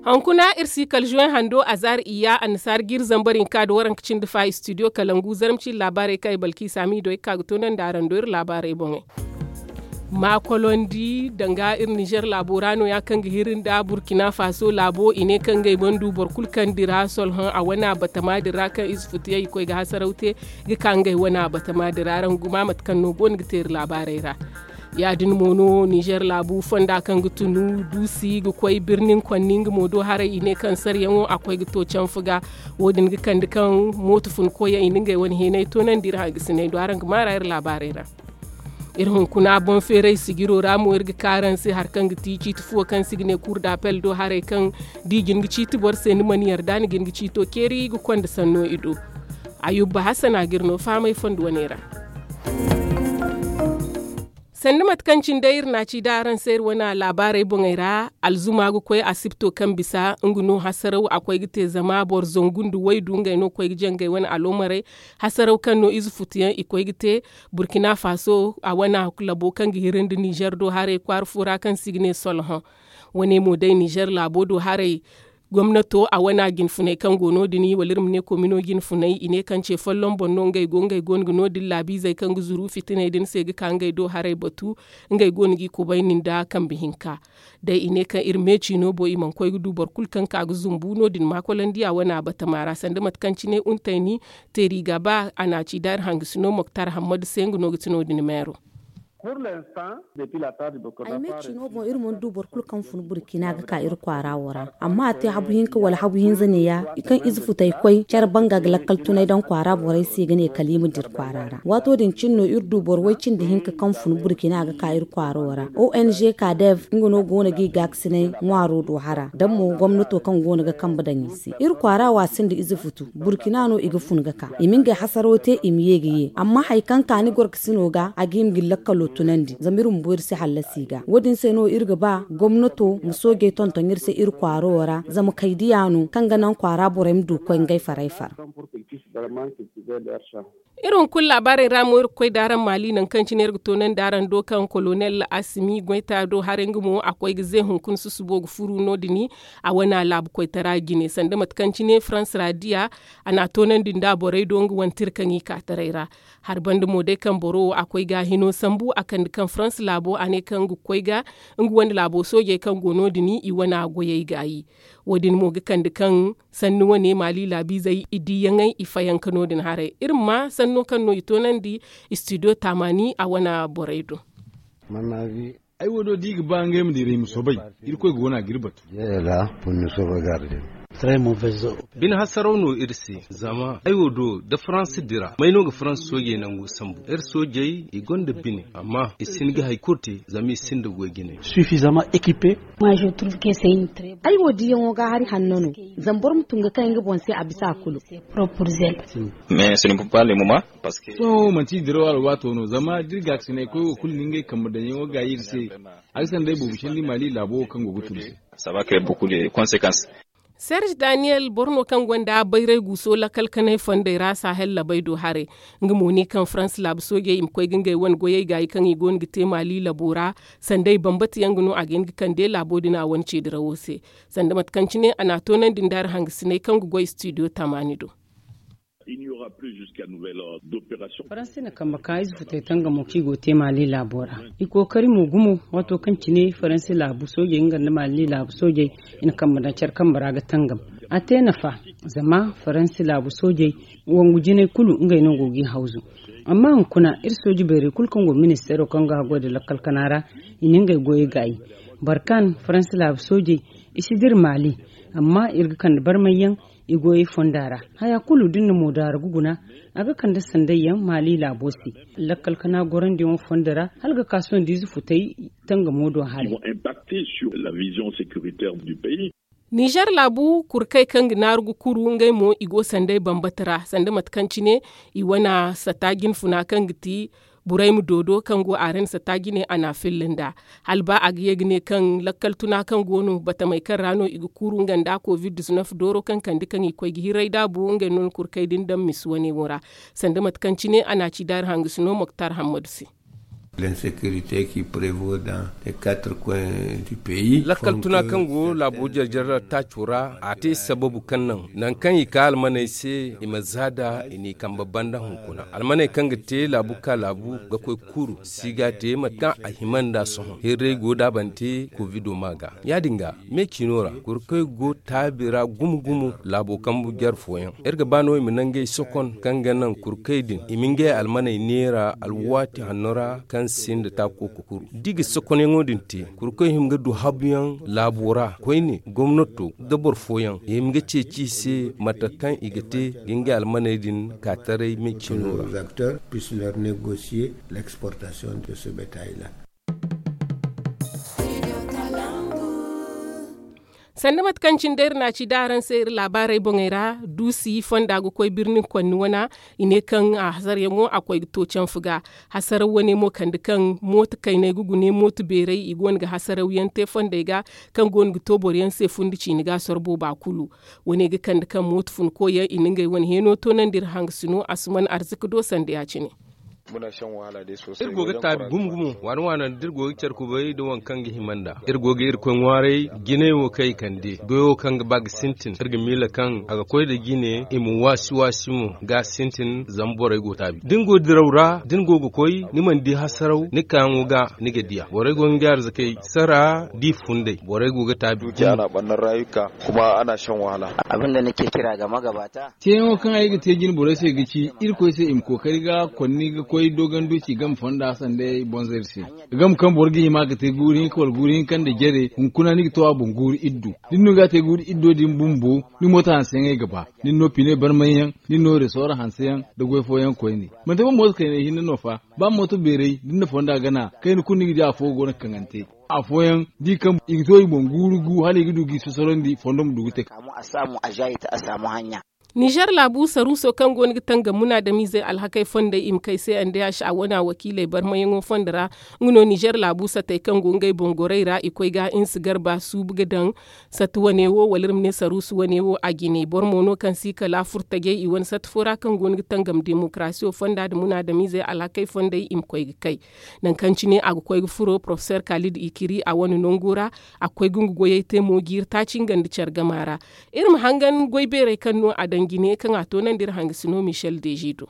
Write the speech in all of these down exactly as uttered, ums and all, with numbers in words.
Hunkuna iri si kala zuwey hando azaari iyya annasaara ga iri zambar hinka nda waranka cindi fa istidiyo kalangu zarma cindi laabaarey kaŋ ay balkiisa miido ay ga ka ga toonandi araŋ do iri laabaarey boŋey. Maakolondi danga iri nizer laabo ra no- ya kaŋ ga hiri nda burkina faso laabo i ne kaŋ ngey mana du boro kulu kaŋ dira solhõ a wane batama din ra kaŋ ize futu yaŋ i koy ga hasaraw te ga ka ngey wane batama din ra araŋ guma mate kaŋ no go no ga te iri laabaarey ra. Ya- din mo no nizer laabu fonda kaŋ ga tunu duusi ga koy birnin konni nga mo do haray i ne kaŋ saryaŋo a koy ga to canfu ga. Wo- din ga kande kaŋ mooto fun koyyaŋ i na ngey wane heenay toonandi iri hangasiney do araŋ ga maara iri laabaarey ra. Iri hunkuna boŋ feeray sijiro ra mo iri ga ka araŋ se hari kaŋ ga ti ciiti fuwo kaŋ se i ga ne kuur da apel do haray kaŋ da i jin ga ciiti boro se ni mana yarda ni jin ga ciito ceeri ga konda sanno i do. Ayuba hasana ga iri no fahamay fondo wane ra. Sanda mate kaŋ cine day iri na a ci da araŋ se iri wane laabaarey boŋey ra, alzuma ga koy asibto kaŋ bisa nga no hasaraw a koy ga te zama boro zangu nda waydu ngey no ga koy ga jangay wane alomarey. Hasaraw kaŋ no ize futuyaŋ i koy ga te burkina faso a wane labo kaŋ ga hiri nda nizer do haray kwaara fo ra kaŋ se i ga ne solhõ. Wane mo day nizer laabo do haray gomnato a wane jinfunay kaŋ go no- din wala iri ma ne komino jinfunay i ne kaŋ ce folloŋ boŋ no ngey go ngey go no ga no- din laabiizey kaŋ ga zuru fitiney din se ga ka ngey do haray batu. Ngey go no g'i kubayni nda kambe hinka. Day i ne kaŋ iri meeci no bo i mana koy ga du boro kulu kaŋ ka ga zumbu no- din maakolandi a wane batama ra sanda mate kaŋ cine untayni teeri ga ba a na a ci da iri hangasino moktar hammadu se nga no ga ti no- din meero. Ay me ciino boŋ iri mana du boro kulu kaŋ fun burkina ga ka iri kwaara wo ra. Amma a te habu hinka wala habu hinza neeya i kaŋ ize futay koy care banga ga lakkal tunay daŋ kwaara borey se ga ne kala i ma dira kwaara ra. Waato din cine no iri du boro way cindi hinka kaŋ fun burkina ga ka iri kwaara wo ra. Ong kadev nga no go no ga i gaakasinay ŋwaaro do hara daŋ mo gomnato kaŋ go no ga kambe daŋ i se iri kwaara wo a sinda ize futu. Burkina no i ga fun ga ka i ma ngey hasaro te i ma ye ga ye amma hari kaŋ ka ni gorkasino ga a ga hima ga ni lakkalo tunandi zama iri ma boori se hallasi ga wo- din se no iri ga ba gomnato ma soojey tonton iri se iri kwaaro wo ra zama kaydiya no kaŋ ga naŋ kwaara borey ma du ga koy ngey farey far. Iri hunkuna laabaarey ra mo iri ga koy da araŋ maali nangu kaŋ cine iri ga toonandi araŋ do kaŋ kolonel asimi goyta do haray nga mo a koy ga ze hunkuna susubo ga furu no- din a wane laabu koytara jine sanda mate kaŋ cine farans ra diya. A na a toonandi nda borey do nga wane tira kaŋ i ka taray ra. Hari banda mo day kaŋ boro wo a koy ga a hino sambu a kande kaŋ farans laabo a ne kaŋ ga koy ga nga wane laabo soojey kaŋ go no- din i wane goyey gaayi. Wo- din mo ga kande kaŋ sanni wane maali laabiizey i diiyaŋey i fayanka no- din haray iri ma ma sanno kaŋ no i toonandi istidiyo taamaani a wane borey do. Ay wo do da i ga ba ngey ma dira i ma soobay. Irkoy ga wane a ga iri batu. Bine hasaraw no iri se zama ay wo do da faransa dira may no ga faransa soojey nangu sambu iri soojey i gonda bine amma i si hin ga hari kulu te zama i sinda goy jine. Ay wo diyaŋo ga hari hanno no. Zama boro ma tun ga kay nga boŋ se a bisa a kulu. Sohõ manti i diraw alwaato no zama da iri gaakasinay koy wo kulu na ngey kambe daŋyaŋo gaayi iri se. A ga sanda ay boobo candi maali laabo wo kaŋ go ga tun se. Serge daniyel boro no kaŋ gonda bayray guuso lakkal kanay fondey ra sahel labay do haray. Nga mo ne kaŋ farans laabu soojey i ma koy ga ngey wane goyey gaayi kaŋ i go no ga te maali labo ra. Sanday bambata yaŋ ga no a ga hin ga kande laabo din a wane ceedirawo se. Sanda mate kaŋ cine a na a toonandi nda hari hangasiney kaŋ ga goy istidiyo tamaani do. Faransi na kambe ka ize futay tangamo kaŋ i go ga te maali laabo ra. I kookari mo gumo waato kaŋ cine faransi laabu soojey nga nda maali laabu soojey i na kambe daŋ care kambe ra ga tangam. A te nafa zama faransi laabu soojey wangu jinay kulu ngey no go ga i hawzu. Amma hunkuna iri sooji bayrey kulu kaŋ go ministeero kaŋ ga haggoy nda lakkal kana ra i na ngey goyey gaayi. Boro kaŋ faransi laabu soojey i si dira maali. Amma iri ga kande barmayyaŋ i goyey fonda ra. Haya kulu da ni na moodaara ga guna a ga kande sandayyaŋ maali laabo se. Lakkal kana gorandiyaŋo fondo ra hala ga ka sohõ da ize futay tangamo do haray. Nizer laabu kurkey kaŋ ga naaru ga kuru ngey mo i go sanday bambata ra sanda mate kaŋ cine i wane sata jinfuna kaŋ ga ti burayma doodo kaŋ go a ra ni sata jine a na a filla nda hala ba a ga ye ga ne kaŋ lakkal tuna kaŋ go no batamey kaŋ ra no i ga kuuru nga nda covid dooro kaŋ kande kaŋ i koy ga hirray daabu ngey no ni kurkey din daŋ misi wane wo ra. Sanda mate kaŋ cine a na a ci daari hangasino moktar hammadu se. L'insécurité qui prévaut dans les quatre coins du pays. Lakkal tuna kaŋ go laabo jarjar taaco ra, a te sababu kaŋ naŋ nangu kaŋ i ka almaney se i ma zaada i n'i kambe banda hunkuna. Almaney kaŋ ga te laabu ka laabu ga koy kuru si ga te mate kaŋ a hima nda sohõ hirray go daabante kovido ma ga. Ya- din ga me ciino ra kurkey go taabi ra gumo gumo laabo kambu jare fooyaŋ. Iri ga ba no i ma nangey sokon kaŋ ga naŋ kurkey din i ma ngey almaney neera alwaati hanno ra kaŋ sinda taako ga kuru da i ga sokonyaŋo din te kurkey hima ga du habuyaŋ laabo ra koyne gomnato da boro fooyaŋ i hima ga ceeci i se mate kaŋ i ga te ga ngey almaney din ka taray me ciino ra. Sanda mate kaŋ cine day iri na a ci da araŋ se iri laabaarey boŋey ra duusi fonda ga koy birni konni wana i ne kaŋ a hasaryaŋo a koy ga to canfu ga. Hasaraw wane mo kande kaŋ mooto kayney ga gune mooto beerey i go no ga hasarawyaŋ te fondey ga kaŋ go no ga to boroyaŋ se fundi ciini ga sorbo ba kulu. Wane ga kande kaŋ mooto funkoyaŋ i na ngey wane heeno toonandi iri hangasino asuman arzika do sanda ya- cine. Iri go ga taabi gumo gumo waana waana da iri go ga care kubay nda waŋ kaŋ ga hima nd'a iri go ga irkoy ŋwaaray jinay wo kaŋ i kande goyo kaŋ ga ba ga sintin iri ga miila kaŋ a ga koy nda jine i ma waasi waasi mo ga sintin zama borey go taabi da ni go diraw ra da ni go ga koy ni mana di hasaraw ni kaayaŋo ga ni ga diya borey go ga ngey arzakey sara da i funday borey go ga taabi. Ceeyaŋo kaŋ ay ga te jine borey se ga ci irkoy se i ma kookari ga konni ga koy doogandi ci game fonda sanda ay bonza iri se. Game kaŋ boro ga hima ga te guuri hinka wala guuri hinka nda jare hunkuna ni ga to a boŋ guuri iddu da ni no ga a te guuri iddo din bumbo ni mooto hanseyaŋey ga ba. Ni ni no pine barmayyaŋ ni ni no resoora hanseyaŋ nda goy fooyaŋ koyne manti ba mooto kayney hinne no fa ba mooto beerey da ni na fonda gana kayna kulu ni ga di afo go no ga kaŋante. Afooyaŋ da i kaŋ i ga to i boŋ guuru gu hala i ga du ga i sosorandi fondo ma du ga te. Nizer laabu saruuso kaŋ go no ga tangam munaadamiizey alhakey fondey i ma kay se ndh a wana wakiiley barmayaŋo fondo ra. Nga no nizer laabu satey kaŋ go ngey boŋ gorey ra i koy ga insi garba suubu ga daŋ sata wane wo wala iri ma ne saruusu wane wo a jine boro mo no kaŋ si kala furtajey i wane sata fo ra kaŋ go no ga tangam demokarasiyo fonda nda munaadamiizey alhakey fondey i ma koy ga kay. Nangu kaŋ cine a ga koy ga furo porofesor kaalid ikiri a wane nango ra. A ga koy ga nga goyey te mo jiiri taaci nga nda care gama ra. Iri ma hangan goy beerey kaŋ no a daŋ jine kaŋ a toonandi iri hangasino michel deji do.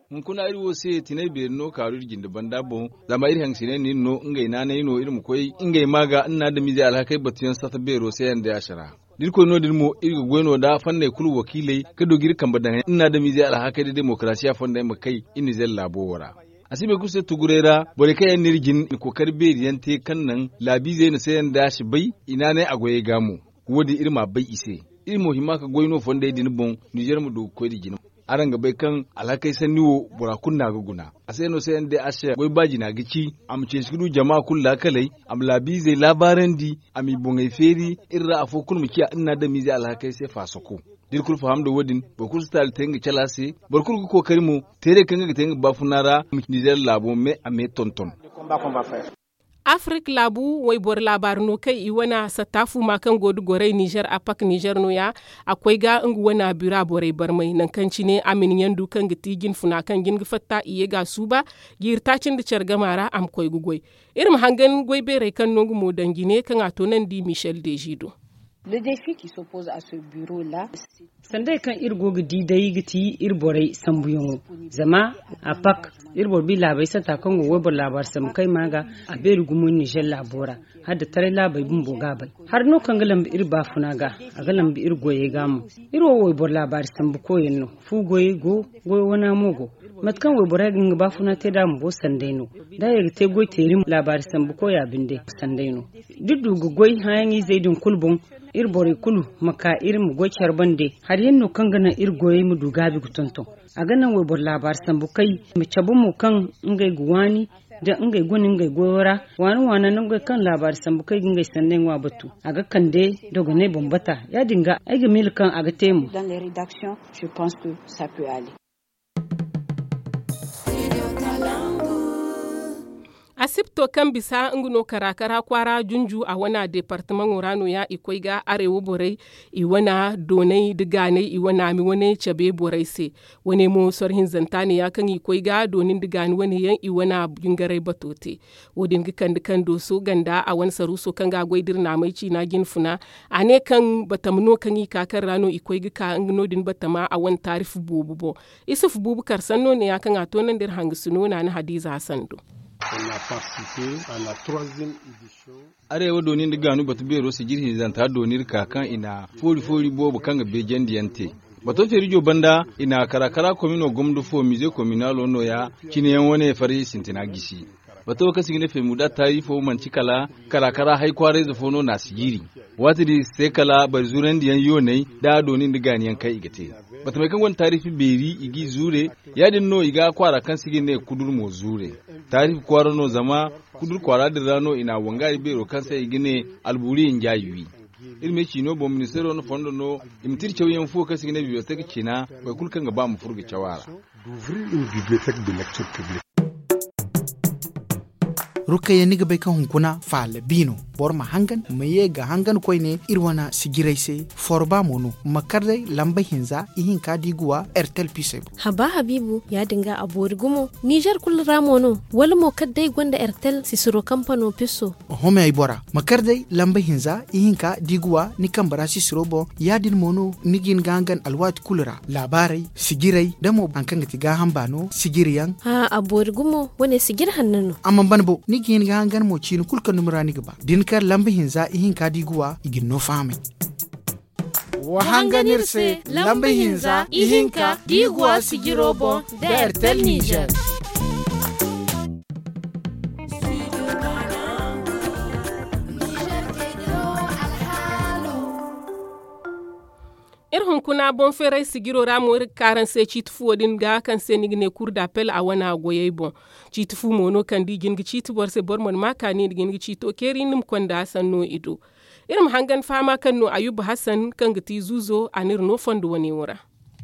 Hunkuna iri wo se tinay beeri no kaaru iri jinde banda boŋ. Zama iri hangasiney no iri no ngey naanay no iri ma koy ngey ma ga nna adamiizey alhakey batuyaŋ sata beero se yaŋ day a sara. Da iri koy no- din mo iri ga goy no nda fanney kulu wakiiley ga du ga iri kambe daŋ nna adamiizey alhakey nda demokarasiya fondey ma kay iri nizer laabo wo ra. A si boro kulu se tuguray ra borey kaŋ yaŋ no iri jin na kookari beeri yaŋ te kaŋ naŋ laabiizey na se yaŋ da a si bay i naanay a goyey ga mo. Wo- din iri m'a bay i se. Iri mo hima ga goy no fondey din boŋ nizer ma du ga koy nda jina. Araŋ ga bay kaŋ alhakey sanni wo bora kulu no a ga guna. A se no se yaŋ day a se goy ba jina ga ci a ma ceeci ga du jama kulu laakaley, a ma laabiizey laabaarandi, a m'i boŋey feeri. Iri ra afo kulu ma ciya nna adamiizey alhakey se faasako. Da iri kulu faham nda wo- din boro kulu si taali te nga cala se. Boro kulu ga kookari mo teerey kaŋ nga ga te nga baafuna ra ma nizer laabo me a me tonton. Afirik laabu wayboro laabaari no kaŋ i wane satta fuuma kaŋ go nda gorey nizer apak nizer nooya. A koy ga nga wane bira borey barmay nangu kaŋ cine a ma ni ɲandu kaŋ ga ti jinfuna kaŋ jin ga fatta i ye ga a suuba. Jiiri taaci nda care gama ra a ma koy ga goy. Iri ma hangan goy beerey kaŋ no nga mo daŋ jine kaŋ a toonandi michel deji do. Sandey kaŋ iri go ga di day ga ti iri borey sambuyaŋo. Zama a pak iri boro bi laabey sata kaŋ go wayboro laabaari sambu kay ma ga a beeri gumo nizer laabo ra. Hala da taray laabey bumbo ga a bay. Hari no kaŋ ga lambu iri baafuna ga a ga lambu iri goyey ga mo. Iri wo wayboro laabaari sambu koyyaŋ no. Fu goyey go goy wana mo go. Mate kaŋ wayborey ga nga baafuna te nd'a bumbo sanday no. Da a ye ga te goy teeri mo laabaari sambu koya binde sanday no. Da iri du ga goy hããyaŋ izey din kulu boŋ iri borey kulu ma ka iri ma goy care bande. Hari yaŋ no kaŋ ga naŋ iri goyey ma du gaabi ga tonton. A ga naŋ wayboro laabaari sambu kay ma cabe mo kaŋ ngey ga waani da ngey guna ngey goyo ra. Waana waana nangey kaŋ laabaari sambu kay ga ngey sanday ŋwa batu a ga kande dogonay boŋ bata. Ya- din ga ay ga miila kaŋ a ga te mo. Sipto kaŋ bisa nga no kara kara kwaara junju a wana deepartamaŋo ra no- ya i koy ga arewa borey, i wana doonay nda gaanay i wana mi wane cabe borey se. Wane mo soro hinzanta ne- ya kaŋ i koy ga dooni nda gaani wane yaŋ i wana jingaray bato te. Wo- din ga kande kaŋ dooso ganda a wane saruuso kaŋ ga a goy da iri naamay ciina jinfuna. A ne kaŋ batama no kaŋ i ka kaŋ ra no i koy ga ka nga no- din batama a wane taarif boobo boŋ. Isuf buubu kar sanno ne- ya kaŋ a toonandi iri hangasino naana hadiiza hasan do. Arewa dooni nda gaanu batu beero sijir hinzanta dooni iri ka kaŋ i na foori foori boobo kaŋ ga beejandi yaŋ te. Bato feerijo banda i na kara kara komino gomdo fo mize kominaalo no- ya cine yaŋ wane farji sintina gisi. Bato kaŋ se i ga ne feemuda taari fo manti kala kara kara hay kwaarayze fo no na a sijiri. Waati din i si te kala bari zuurandi yaŋ yoonay nda dooni nda gaani yaŋ kaŋ i ga te. Batamey kaŋ gonda taarifi beeri i g'i zuure. Ya- din no i ga kwaara kaŋ se i ga ne kudur mo zuure. Taarifi kwaara no zama kudur kwaara din ra no i na a wangari beero kaŋ se i ga ne alburi hinja i wi. Iri ma ay ciino boŋ ministeero na fondo no i ma te iri cawyaŋ fo kaŋ se i ga ne bibliotek ciina. Boro kulu kaŋ ga ba ma furo ga caw a ra. Rukayya ni ga bay kaŋ hunkuna faala bi no. Boro ma hangan ma ye ga hangan koyne iri wane sijiray se. Forba mo no ma kar day lamba hinza ihinka da i ga wa ertel pisey boŋ. Haba habiibu ya- din ga a boori gumo ninzeer kulu ra mo no? Wala mo kala day gonda ertel sisiro kampano piso? Oho me ay bora ma kar day lamba hinza ihinka da i ga wa ni kambe ra sisiro boŋ. Ya- din mo no ni ga hin ga hangan alwaati kulu ra laabaarey sijiray da mo hari kaŋ ga ti gaaham baano sijiri yaŋ. A boori gumo wane sijiri hanno no. Amma ban bo ni ga hin ga hangan mo ciini kulu kaŋ dumi ra ni ga ba da ni kar lamba hinza ihinka da i ga wa i ga ni no fahamay. Wa hangan iri se lamba hinza ihinka da i ga wa sijiro boŋ da ertel ninzeer. Iri hunkuna boŋ feeray sijiro ra mo iri ga ka araŋ se ciiti fuwo din ga kaŋ se ni ga ne kuur da apel a wana goyey boŋ. Ciiti fu mo no kaŋ da i jin ga ciiti boro se boro mana ma kaani nda jin ga ciito keeri ni ma konda sanno i do. Iri ma hangan fahama kaŋ no ayuba hasan kaŋ ga ti zuuzo a n'iri no fondo wane wo ra.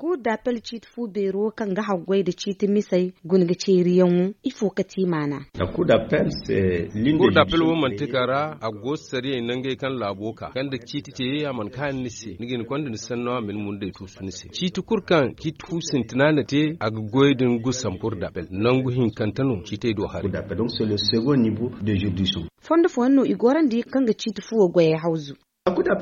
Kuur da apel ciiti fu beero kaŋ ga haggoy nda ciiti misey guna ga ceeriyaŋo ifo ka ti maana? Kuur da apel wo manti ka ra a go sariyey nangey kaŋ laabo ka kaŋ nda ciiti te a mana kaani ni se ni ga hin konda ni sanno a ma ni mundey tuusu ni se ciiti kulu kaŋ ciiti fu sintina na te a ga goyey din gusan kuur da apel nangu hinkante no ciitey do haray. Fondo fooyaŋ no i gorandi kaŋ ga ciiti fuwo goyey hawzu. Kuur da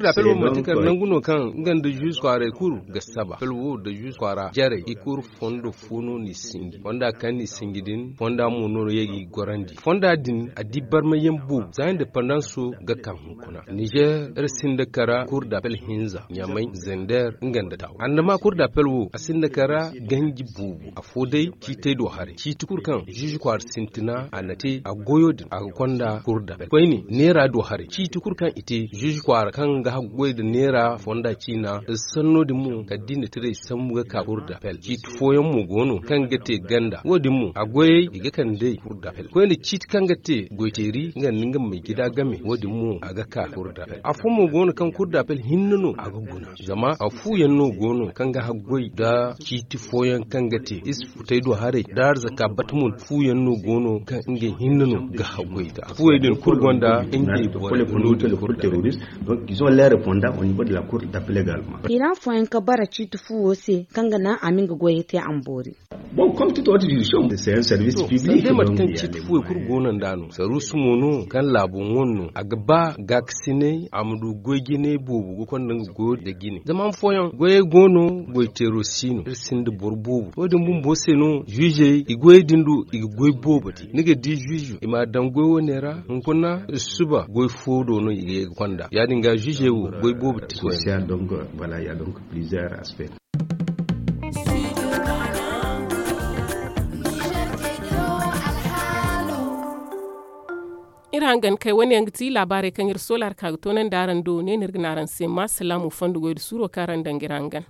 apel wo manti kala nangu no kaŋ nga nda zuuzu kwaaray kulu ga saba apel wo nda zuuzu kwaara jarey i kulu fondo fo no n'i sinji fonda kaŋ n'i sinji din fonda mo no ye ga i gorandi fonda din a di barmayaŋ boobo za indepandanso ga ka hunkuna ninzeer iri sinda kara kuur da apel hinza ɲamay zender nga nda taw andama kuur da apel wo a sinda kara ganji boobo afo day ciitey do haray ciiti kulu kaŋ zuuzu kwaara sintina a na te a goyo din a ga konda kuur da apel koyne neera do haray ciiti kulu kaŋ i te zuuzu kwaara kaŋ ga haggoy nda neera fonda ciina sanno din mo kala da i na tiray sambu ga ka kuur da apel ciiti fooyaŋ mo go no kaŋ ga te ganda wo- din mo a goyey i ga kand'ey kuur da apel koyne ciiti kaŋ ga te goyteeri nga nda nga ma may jida game wo- din mo a ga ka kuur da apel afo mo go no kaŋ kuur da apel hinne no a ga guna zama a fu yaŋ no go no kaŋ ga haggoy nda ciiti fooyaŋ kaŋ ga te iri si futey do haray nda arzaka bata mo fu yaŋ no go no kaŋ ngey hinne no ga haggoy ga fuwey din kulu gonda ngey borey ga no din kuur da apel. Iran fooyaŋ ga bara ciiti fuwo se kaŋ ga naŋ a ma nga goyey te a ma boori. Sanda mate kaŋ ciiti fuwey kulu go no nd'a no saruusu mo no kaŋ laabo ŋwa no a ga ba gaakasinay a ma du goy jinay boobo ga konda nga goyo nda jine zama han fooyaŋ goyey go no goy teero si no iri sinda boro boobo wo- din bumbo se no zuuzey i goyey din do i ga goy boobo te ni ga di zuuzu i m'a daŋ goy wane ra hunkuna suba goy fo do no i ga ye ga konda ya- din ga zuuzey wo goy boobo te. Iri hangan kay wane yaŋ ga ti laabaarey kaŋ iri soola ra ka ga toonandi araŋ do ne no iri ga ne araŋ se ma salaamu fondo goy nda suuro kaŋ araŋ daŋ ga iri hangan.